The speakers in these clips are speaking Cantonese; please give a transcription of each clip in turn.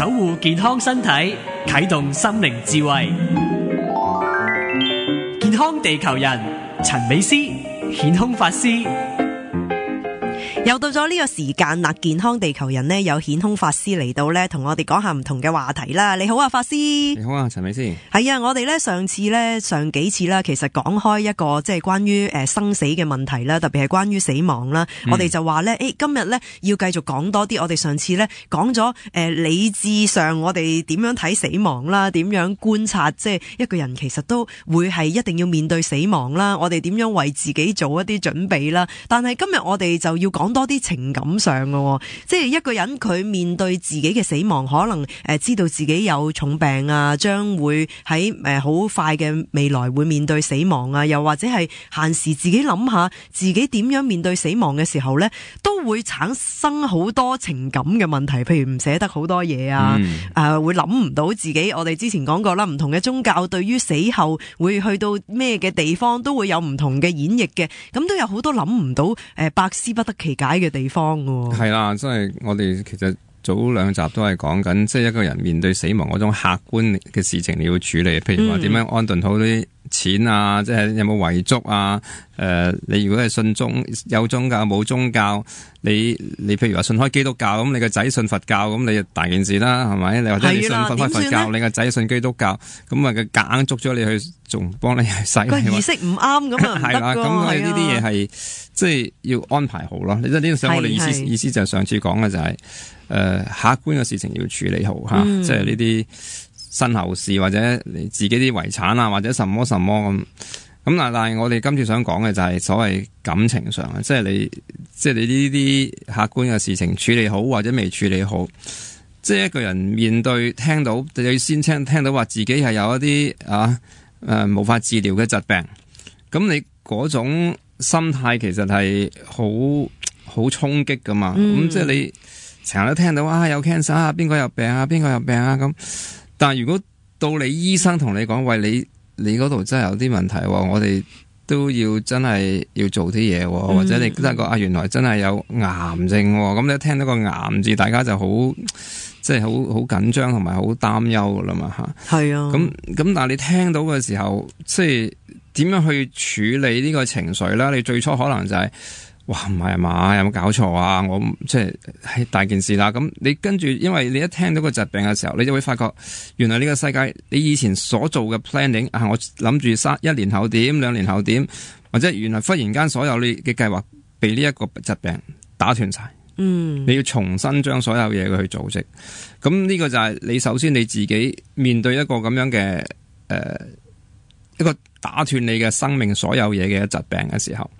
守護健康身體，啟動心靈智慧。健康地球人陳美詩顯空法師。又到咗呢個時間啦，健康地球人呢，有顯空法師嚟到呢，同我哋講下唔同嘅話題啦。你好啊，法師。你好啊，陳美詩。係啊，我哋呢上幾次啦，其實講開一個即係關於生死嘅問題啦，特別係關於死亡啦。我哋就話呢，今日呢要繼續講多啲。我哋上次呢講咗理智上我哋點樣睇死亡啦，點樣觀察即係一個人其實都會係一定要面對死亡啦。我哋點樣為自己做一啲準備啦？但係今日我哋就要講多啲情感上嘅，即係一個人佢面對自己嘅死亡，可能知道自己有重病啊，將會喺好快嘅未來會面對死亡啊，又或者係閒時自己諗下自己點樣面對死亡嘅時候呢，都會產生好多情感嘅問題，譬如唔捨得好多嘢啊，會諗唔到自己。我哋之前講過啦，唔同嘅宗教對於死後會去到咩嘅地方都會有唔同嘅演繹嘅，咁都有好多諗唔到百思不得其解嘅地方喎。係啦，即係我哋其實早兩集都係講緊，即係一個人面對死亡嗰種客觀嘅事情你要處理，譬如話點樣安頓好啲錢啊，即係有冇遺囑啊？你如果係信有宗教冇宗教，你譬如話信開基督教，咁你個仔信佛教，咁你就大件事啦，係咪？你或者你信佛教，你個仔信基督教，咁啊佢夾硬捉咗你去，仲幫你去洗個儀式唔啱咁啊，係啦，咁我哋呢啲嘢係即係要安排好咯。你即係呢個想我哋意思就係上次講嘅就係客觀嘅事情要處理好吓，即係呢啲身後事或者你自己啲遺產啊，或者什麼咁。咁但係我哋今次想講嘅就係所謂感情上嘅，即係你呢啲客觀嘅事情處理好或者未處理好，即係一個人面對聽到你先聽到話自己係有一啲無法治療嘅疾病，咁你嗰種心態其實係好衝擊噶嘛，咁即係你成日都聽到有 cancer 啊，邊個有病啊，咁，但係如果到你醫生同你講，喂，你嗰度真係有啲問題，我哋都要真係要做啲嘢，或者你得個原來真係有癌症，咁你一聽到個癌字，大家就好即係好緊張同埋好擔憂噶啦嘛吓。係啊，咁但係你聽到嘅時候，即係點樣去處理呢個情緒啦？你最初可能就係哇，唔係嘛，有冇搞錯啊？我即係大件事啦。咁你跟住，因為你一聽到個疾病嘅時候，你就會發覺，原來呢個世界你以前所做嘅 planning 我諗住1年後點，2年後點，或者原來忽然間所有你嘅計劃被呢一個疾病打斷晒。你要重新將所有嘢去組織。咁呢個就係你首先你自己面對一個咁樣嘅一個打斷你嘅生命所有嘢嘅疾病嘅時候。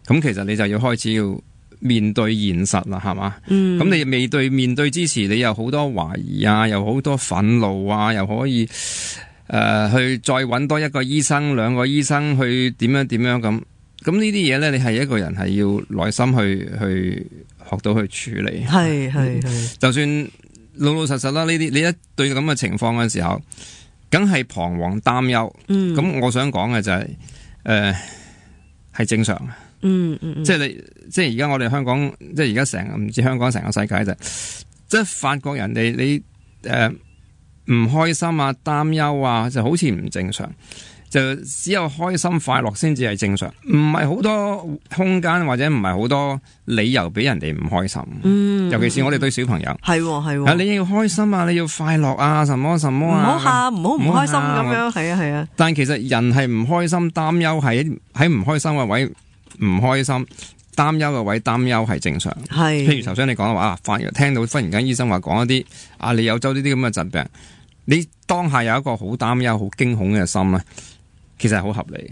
咁其實你就要開始要面對現實啦，係嘛？咁你面對之時，你有好多懷疑啊，有好多憤怒啊，又可以去再揾多一個醫生、2個醫生去點樣咁。咁呢啲嘢咧，你係一個人係要耐心去學到去處理。係，就算老實實啦，呢啲你一對咁嘅情況嘅時候，梗係彷徨擔憂。咁我想講嘅就係係正常嘅。即係而家我哋香港，即係而家唔知香港成個世界就，即係發覺人哋你唔開心啊、擔憂啊，就好似唔正常，就只有開心快樂先至係正常，唔係好多空間或者唔係好多理由俾人哋唔開心。尤其是我哋對小朋友，係你要開心啊，你要快樂啊，什麼啊，唔好喊，唔好唔開心咁樣，係啊。但其實人係唔開心、擔憂喺唔開心嘅位。唔開心、擔憂嘅位，擔憂係正常。譬如頭先你講嘅話聽到忽然間醫生話講一啲你有呢啲咁嘅疾病，你當下有一個好擔憂、好驚恐嘅心咧，其實係好合理。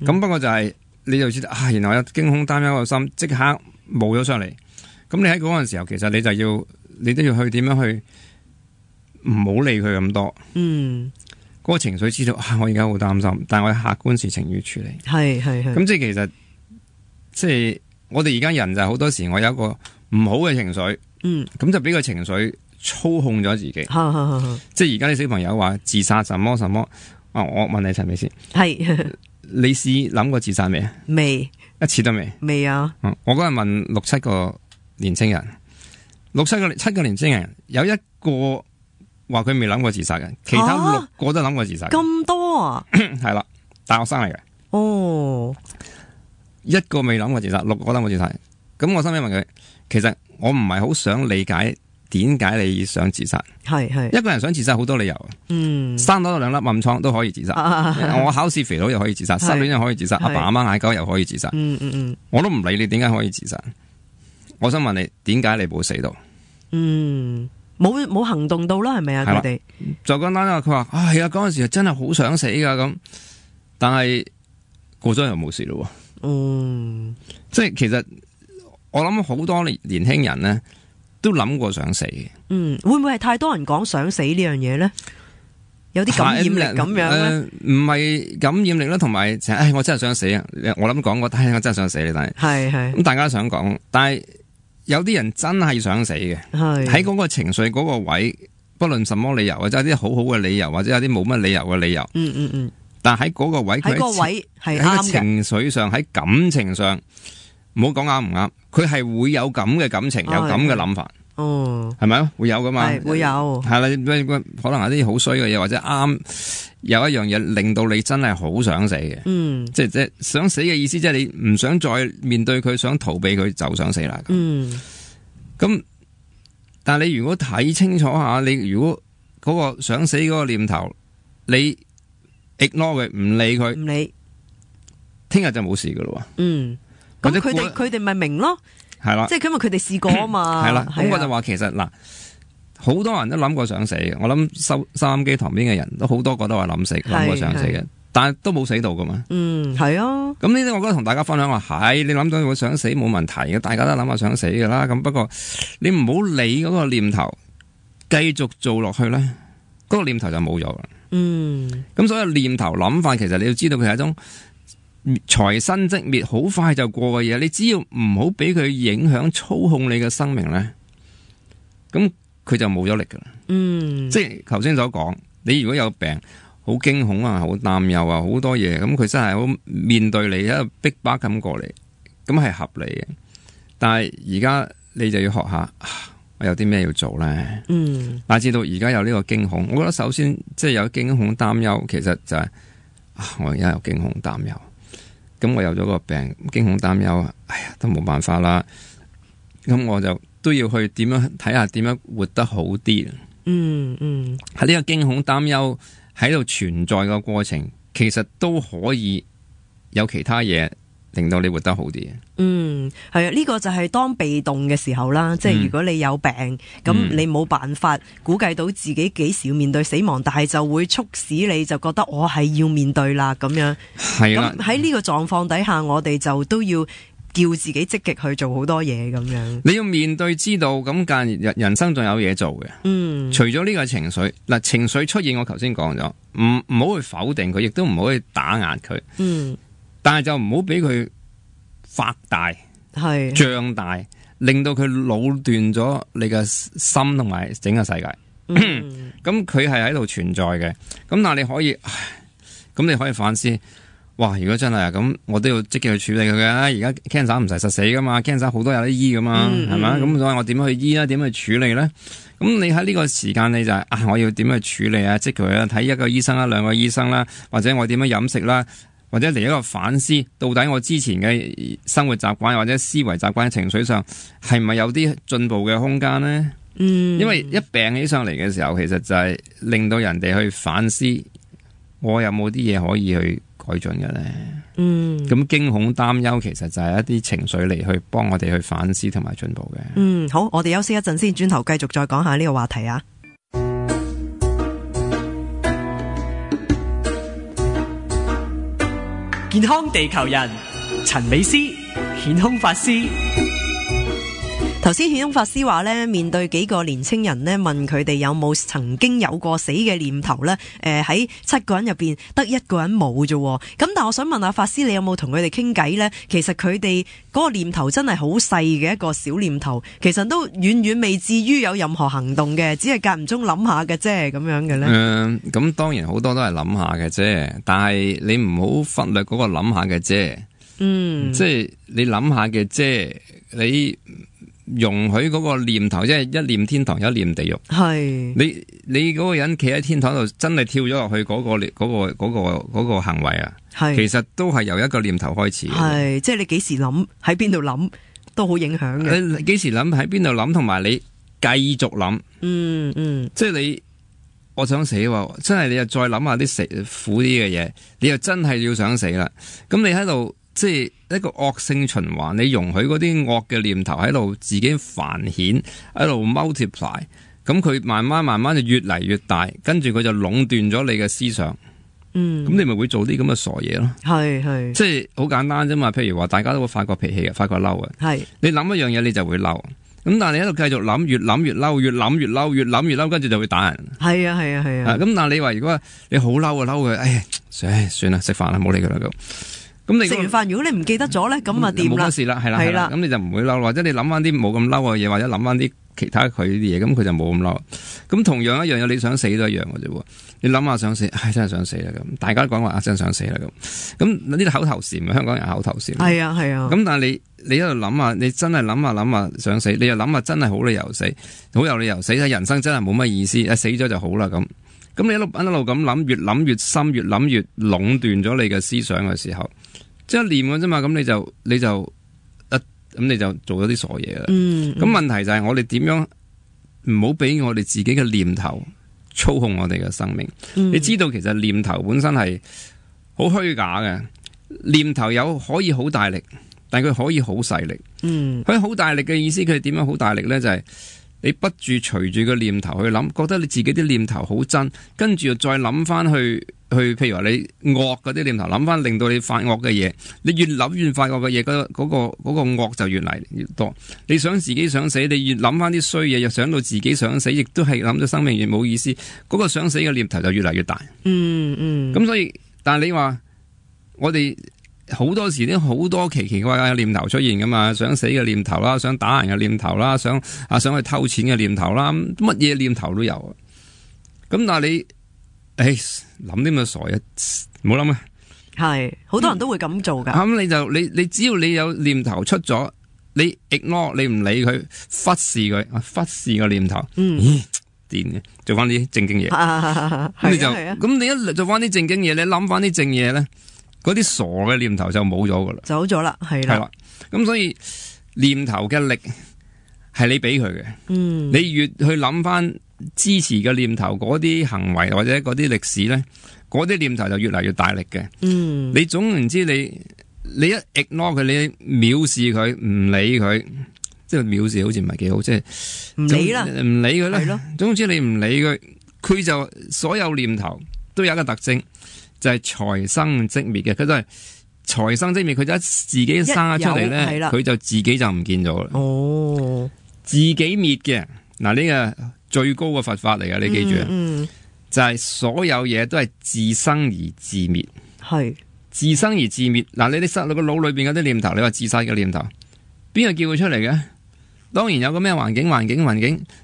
咁不過就係你就知道原來有驚恐、擔憂嘅心，即刻冇咗上嚟。咁你喺嗰陣時候，其實你都要去點樣去唔好理佢咁多。嗰個情緒知道我而家好擔心，但係我客觀事情要處理。咁即係其實。即係我哋而家人就好多時，我有一個唔好嘅情緒，咁就俾個情緒操控咗自己。即係而家啲小朋友話自殺什麼，我問你陳美先，你試諗過自殺未啊？未，一次都未。未啊！我嗰日問6、7個年青人，7個年青人有一個話佢未諗過自殺嘅，其他6個都諗過自殺。咁多啊？係啦，大學生嚟嘅。哦，一個未諗過自殺，6個諗過自殺。咁我心裡問佢，其實我唔係好想理解點解你想自殺。係一個人想自殺好多理由。生多2粒暗瘡都可以自殺。我考試肥佬又可以自殺，失戀又可以自殺，阿爸阿媽嗌交又可以自殺。我都唔理你點解可以自殺。我想問你，點解你冇死到？冇行動到啦，係咪啊？佢哋就簡單啦。佢話係啊，嗰陣時真係好想死噶咁，但係過咗又冇事咯。即係其實我諗好多年輕人咧都諗過想死嘅。會唔會係太多人講想死呢樣嘢咧？有啲感染力咁樣咧？唔係感染力啦，同埋我真係想死啊！我諗講過，但係我真係想死你，但係咁大家想講，但係有啲人真係想死嘅，喺嗰個情緒嗰個位，不論什麼理由，或者有啲好好嘅理由，或者有啲冇乜理由嘅理由。但係喺嗰個位，佢喺個情緒上，喺感情上，唔好講啱唔啱，佢係會有咁嘅感情，有咁嘅諗法。係咪啊？會有噶嘛？會有。係啦，可能係啲好衰嘅嘢，或者啱有一樣嘢令到你真係好想死嘅。即係想死嘅意思，即係你唔想再面對佢，想逃避佢就想死啦。咁，但係你如果睇清楚下，你如果嗰個想死嗰個念頭，你 ignore 佢，唔理佢，聽日就冇事噶咯。咁佢哋咪明咯。係啦，即係因為佢哋試過啊嘛。係啦，咁我就話其實嗱，好多人都諗過想死嘅。我諗收音機旁邊嘅人都好多個都話諗過想死嘅，但係都冇死到噶嘛。係啊。咁呢啲我覺得同大家分享話係，你諗到會想死冇問題嘅，大家都諗下想死噶啦。咁不過你唔好理嗰個念頭，繼續做落去咧，嗰個念頭就冇咗啦。咁所以念頭諗法，其實你要知道佢係一種財生即滅，好快就過嘅嘢，你只要唔好俾佢影響操控你嘅生命咧，咁佢就冇咗力噶啦。即係頭先所講，你如果有病，好驚恐啊，好擔憂啊，好多嘢，咁佢真係好面對你，一個逼巴咁過嚟，咁係合理嘅。但係而家你就要學下，我有啲咩要做咧？乃至到而家有呢個驚恐，我覺得首先即係有驚恐擔憂，其實就係我而家有驚恐擔憂。咁我有咗個病，驚恐擔憂，哎呀，都冇辦法啦。咁我就都要去點樣睇下點樣活得好啲。喺呢個驚恐擔憂喺度存在嘅過程，其實都可以有其他嘢令到你活得好啲。係啊，呢個就係當被動嘅時候啦。即係如果你有病，咁你冇辦法估計到自己幾時要面對死亡，但係就會促使你就覺得我係要面對啦咁樣。係啦，咁喺呢個狀況底下，我哋就都要叫自己積極去做好多嘢咁樣。你要面對知道，咁但人生仲有嘢做嘅。除咗呢個情緒，嗱，情緒出現，我頭先講咗，唔好去否定佢，亦都唔好去打壓佢。但係就唔好俾佢發大、脹大，令到佢壟斷咗你嘅心同埋整個世界。咁佢係喺度存在嘅。咁但係你可以，咁你可以反思。哇！如果真係咁，我都要積極去處理佢嘅。而家 cancer 唔使實死噶嘛 ，cancer 好多有得醫噶嘛，係咪？咁所以我點樣去醫咧？點樣去處理咧？咁你喺呢個時間你就係我要點樣去處理啊？積極去睇一個醫生啦，兩個醫生啦，或者我點樣飲食啦，或者嚟一個反思，到底我之前嘅生活習慣或者思維習慣、情緒上係咪有啲進步嘅空間咧？因為一病起上嚟嘅時候，其實就係令到人哋去反思，我有冇啲嘢可以去改進嘅咧？咁驚恐擔憂其實就係一啲情緒嚟去幫我哋去反思同埋進步嘅。好，我哋休息一陣先，轉頭繼續再講下呢個話題啊。健康地球人陳美詩顯空法師。頭先顯空法師話咧，面對幾個年青人咧，問佢哋有冇曾經有過死嘅念頭咧？喺7個人入邊得1個人冇啫。咁但係我想問下法師，你有冇同佢哋傾偈咧？其實佢哋嗰個念頭真係好細嘅一個小念頭，其實都遠遠未至於有任何行動嘅，只係間唔中諗下嘅啫，咁樣嘅咧。咁當然好多都係諗下嘅啫，但係你唔好忽略嗰個諗下嘅啫。即係你諗下嘅啫，你容許嗰個念頭，即係一念天堂，一念地獄。係你嗰個人企喺天台度，真係跳咗落去嗰個行為啊，其實都係由一個念頭開始嘅。係，即係你幾時諗，喺邊度諗，都好影響嘅。你幾時諗，喺邊度諗，同埋你繼續諗。即係我想死喎，真係你又再諗下啲苦啲嘅嘢，你又真係要想死啦。咁你喺度即係一個惡性循環，你容許嗰啲惡嘅念頭喺度自己繁衍，喺度 multiply， 咁佢慢慢就越嚟越大，跟住佢就壟斷咗你嘅思想。咁你咪會做啲咁嘅傻嘢咯。係，即係好簡單啫嘛。譬如話大家都會發過脾氣嘅，發過嬲嘅。係，你諗一樣嘢你就會嬲。咁但係你喺度繼續諗，越諗越嬲，越諗越嬲，越諗越嬲，跟住就會打人。係啊。咁但係你話如果你好嬲啊，嬲佢，哎，算啦，食飯啦，唔好理佢啦咁。咁你食完飯，如果你唔記得咗咧，咁啊掂啦。冇乜事啦，係啦。咁你就唔會嬲，或者你諗翻啲冇咁嬲嘅嘢，或者諗翻啲其他佢啲嘢，咁佢就冇咁嬲。咁同樣一樣嘢，你想死都一樣嘅啫。你諗下想死，真係想死啦咁。大家都講話真係想死啦咁。咁呢啲口頭禪，香港人口頭禪。係啊。咁但係你喺度諗下，你真係諗下想死，你又諗下真係好理由死，好有理由死，人生真係冇乜意思，死咗就好啦咁。咁你一路咁諗，越諗越深，越諗越壟斷咗你嘅思想嘅時候，即係念嘅啫嘛。咁你就做咗啲傻嘢啦。咁問題就係我哋點樣唔好俾我哋自己嘅念頭操控我哋嘅生命。你知道其實念頭本身係好虛假嘅，念頭可以好大力，但佢可以好細力。佢好大力嘅意思，佢點樣好大力呢？就係你不住隨住個念頭去諗，覺得你自己啲念頭好真，跟住再諗翻去，譬如話你惡嗰啲念頭，諗翻令到你發惡嘅嘢，你越諗越發惡嘅嘢，嗰個惡就越嚟越多。你想自己想死，你越諗翻啲衰嘢，又想到自己想死，亦都係諗到生命越冇意思，嗰個想死嘅念頭就越嚟越大。咁所以，但係你話我哋好多時都好多奇奇怪怪嘅念頭出現噶嘛，想死嘅念頭啦，想打人嘅念頭啦，想去偷錢嘅念頭啦，乜嘢念頭都有。咁但係你諗啲咁嘅傻嘢，唔好諗啊！係好多人都會咁做噶。咁你只要你有念頭出咗，你 ignore 你唔理佢，忽視佢，忽視個念頭。癲嘅，做翻啲正經嘢。咁你就咁你一做翻啲正經嘢，你諗翻啲正嘢咧，嗰啲傻嘅念頭就冇咗噶啦，走咗啦，係啦。咁所以念頭嘅力係你俾佢嘅。你越去諗翻支持嘅念頭，嗰啲行為或者嗰啲歷史咧，嗰啲念頭就越嚟越大力嘅。你總言之，你一 ignore 佢，你藐視佢，唔理佢，即係藐視好似唔係幾好，即係唔理啦，唔理佢啦。係咯，總之你唔理佢，佢就所有念頭都有一個特徵。就係財生即滅嘅，佢都係財生即滅，佢就自己生咗出嚟咧，佢就自己就唔見咗啦。自己滅嘅，嗱呢個最高嘅佛法嚟嘅，你記住啊。就係所有嘢都係自生而自滅，係自生而自滅。嗱，你塞落個腦裏邊嗰啲念頭，你話自殺嘅念頭，邊個叫佢出嚟嘅？當然有個咩環境，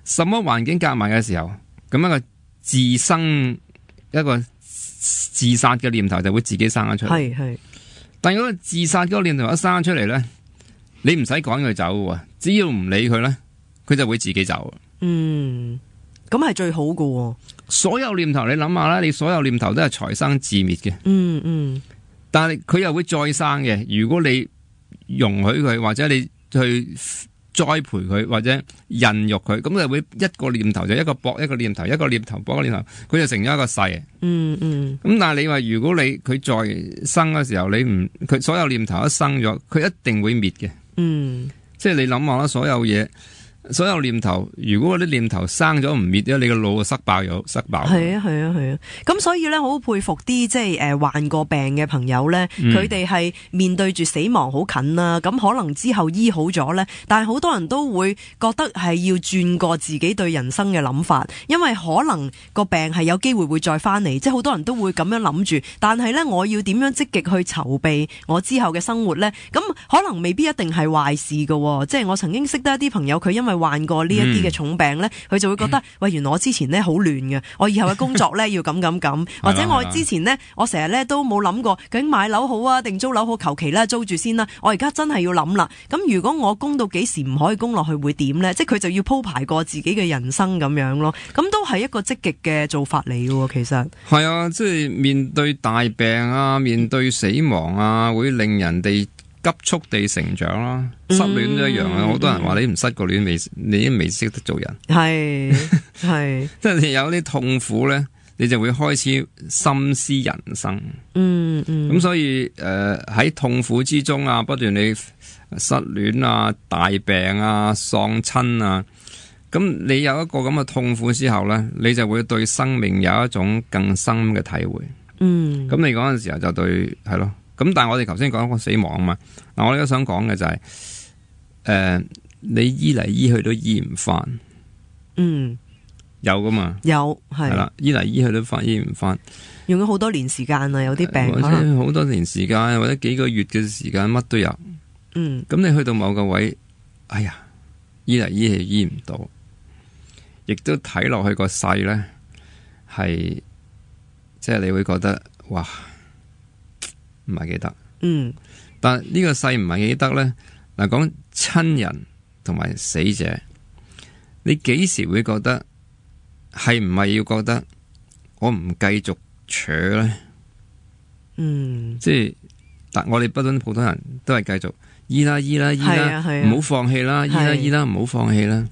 什麼環境夾埋嘅時候，咁一個自生一個自殺嘅念頭就會自己生咗出嚟。係，但如果自殺嗰個念頭一生出嚟咧，你唔使趕佢走嘅，只要唔理佢咧，佢就會自己走。咁係最好嘅。所有念頭你諗下啦，你所有念頭都係財生自滅嘅。但係佢又會再生嘅。如果你容許佢，或者你去栽培佢，或者孕育佢，咁就會一個念頭就一個搏一個念頭，一個念頭搏一個念頭，佢就成咗一個勢。咁但係你話如果佢再生嘅時候，佢所有念頭一生咗，佢一定會滅嘅。即係你諗下啦，所有念頭，如果嗰啲念頭生咗唔滅咧，你個腦就塞爆。係啊。咁所以咧，好佩服啲即係患過病嘅朋友咧，佢哋係面對住死亡好近啦。咁可能之後醫好咗咧，但係好多人都會覺得係要轉過自己對人生嘅諗法，因為可能個病係有機會再翻嚟，即係好多人都會咁樣諗住。但係咧，我要點樣積極去籌備我之後嘅生活咧？咁可能未必一定係壞事㗎。即係我曾經識得一啲朋友，佢因為係患過呢一啲嘅重病咧，佢就會覺得喂，原來我之前咧好亂嘅，我以後嘅工作咧要咁，或者我之前咧我成日咧都冇諗過究竟買樓好啊定租樓好，求其啦租住先啦，我而家真係要諗啦。咁如果我供到幾時唔可以供落去會點咧？即係佢就要鋪排過自己嘅人生咁樣咯。咁都係一個積極嘅做法嚟嘅，其實係啊，即係面對大病啊，面對死亡啊，會令人哋急速地成長啦。失戀都一樣啊，好多人話你唔失過戀，你已經未識得做人。係即係你有啲痛苦咧，你就會開始深思人生。咁所以喺痛苦之中啊，不斷你失戀啊、大病啊、喪親啊。咁你有一個咁嘅痛苦之後呢，你就會對生命有一種更深嘅體會。咁你嗰陣時候就對係咯。咁但係我哋頭先講過死亡啊嘛。嗱，我哋都想講嘅就係，你醫嚟醫去都醫唔翻。有噶嘛？有係啦，醫嚟醫去都醫唔翻。用咗好多年時間啊，有啲病或者好多年時間，或者幾個月嘅時間，乜都有。咁你去到某個位，哎呀，醫嚟醫去醫唔到。亦都睇落去個勢咧，係即係你會覺得哇，唔係幾得。但呢個勢唔係幾得咧。嗱，講親人同埋死者，你幾時會覺得係唔係要覺得我唔繼續扯咧？即係但我哋不論普通人都係繼續醫啦，唔好放棄啦，醫啦，唔好放棄啦。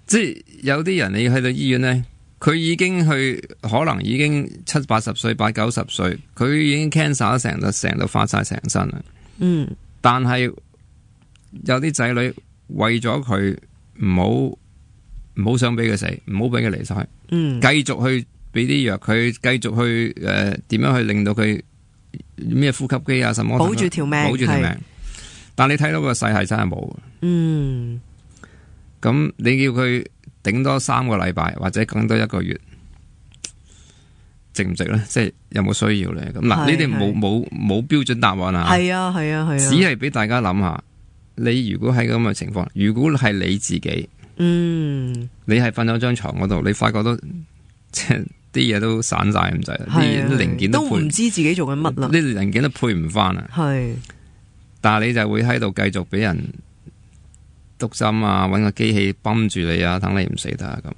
即係有啲人你去到醫院咧，佢已經可能已經70、80歲、80、90歲，佢已經 cancer 成到發晒成身啦。但係有啲仔女為咗佢唔好想俾佢死，唔好俾佢離世，繼續去俾啲藥佢，繼續去點樣去令到佢咩呼吸機啊什麼保住條命，但你睇到個勢係真係冇。咁你叫佢頂多3個禮拜或者更多1個月，值唔值咧？即係有冇需要咧？咁嗱，呢啲冇標準答案啊。係啊，只係俾大家諗下，你如果喺咁嘅情況，如果係你自己，你係瞓咗張床嗰度，你發覺到即係啲嘢都散晒咁滯，啲零件都唔知自己做緊乜啦，啲零件都配唔翻啊。但係你就會喺度繼續俾人篤針啊，搵個機器泵住你啊，等你唔死得啊咁。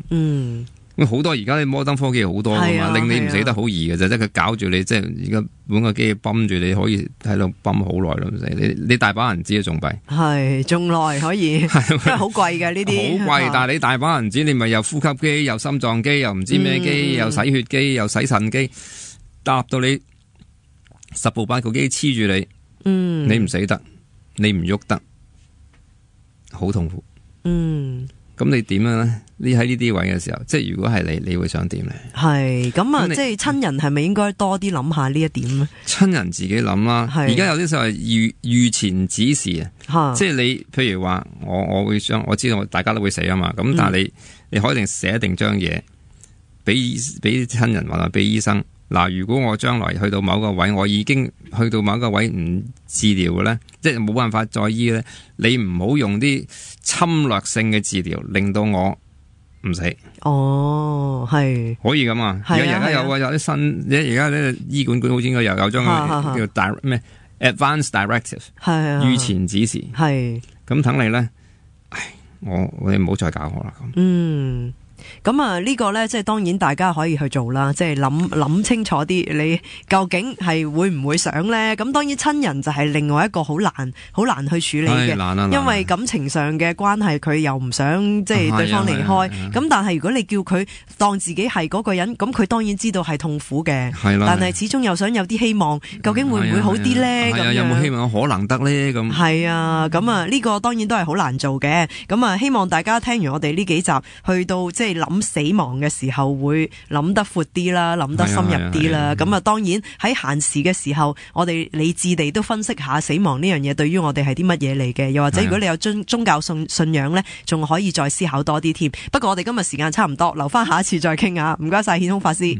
咁好多而家啲摩登科技好多噶嘛，令你唔死得好易嘅啫，即係佢搞住你，即係而家搵個機器泵住你，可以喺度泵好耐咯，唔死你大把人知啊，仲弊係仲耐可以，因為好貴嘅呢啲，好貴。但係你大把人知，你咪又呼吸機，又心臟機，又唔知咩機，又洗血機，又洗腎機，搭到你10部8個機黐住你，你唔死得，你唔喐得。好痛苦，咁你點樣咧？你喺呢啲位嘅時候，即係如果係你會想點咧？係咁啊，即係親人係咪應該多啲諗下呢一點咧？親人自己諗啦，而家有啲就係預前指示啊，即係你譬如話我會想，我知道大家都會死啊嘛，咁但係你可以寫定張嘢俾親人或者俾醫生。嗱，如果我將來去到某個位，我已經去到某個位唔治療嘅咧，即係冇辦法再醫咧，你唔好用啲侵略性嘅治療，令到我唔死。哦，係可以咁啊！而家有啲新，而家呢醫管局好似應該有張叫咩 Advance Directive， 預前指示，係咁等你咧。你唔好再搞我啦咁。咁啊，呢個呢，即係當然大家可以去做啦，即係諗清楚啲，你究竟係會唔會想呢？咁當然親人就係另外一個好難去處理嘅，因為感情上嘅關係，佢又唔想即係對方離開。咁但係如果你叫佢當自己係嗰個人，咁佢當然知道係痛苦嘅，但係始終又想有啲希望，究竟會唔會好啲呢？咁有冇希望可能得呢？咁係啊，咁啊呢個當然都係好難做嘅。咁啊希望大家聽完我哋呢幾集，去到即係諗死亡嘅時候會諗得闊啲啦，諗得深入啲啦。咁啊，當然喺閒時嘅時候，我哋理智地都分析下死亡呢樣嘢對於我哋係啲乜嘢嚟嘅。又或者如果你有宗教信仰呢，仲可以再思考多啲添。不過我哋今日時間差唔多，留翻下一次再傾下。唔該晒顯空法師。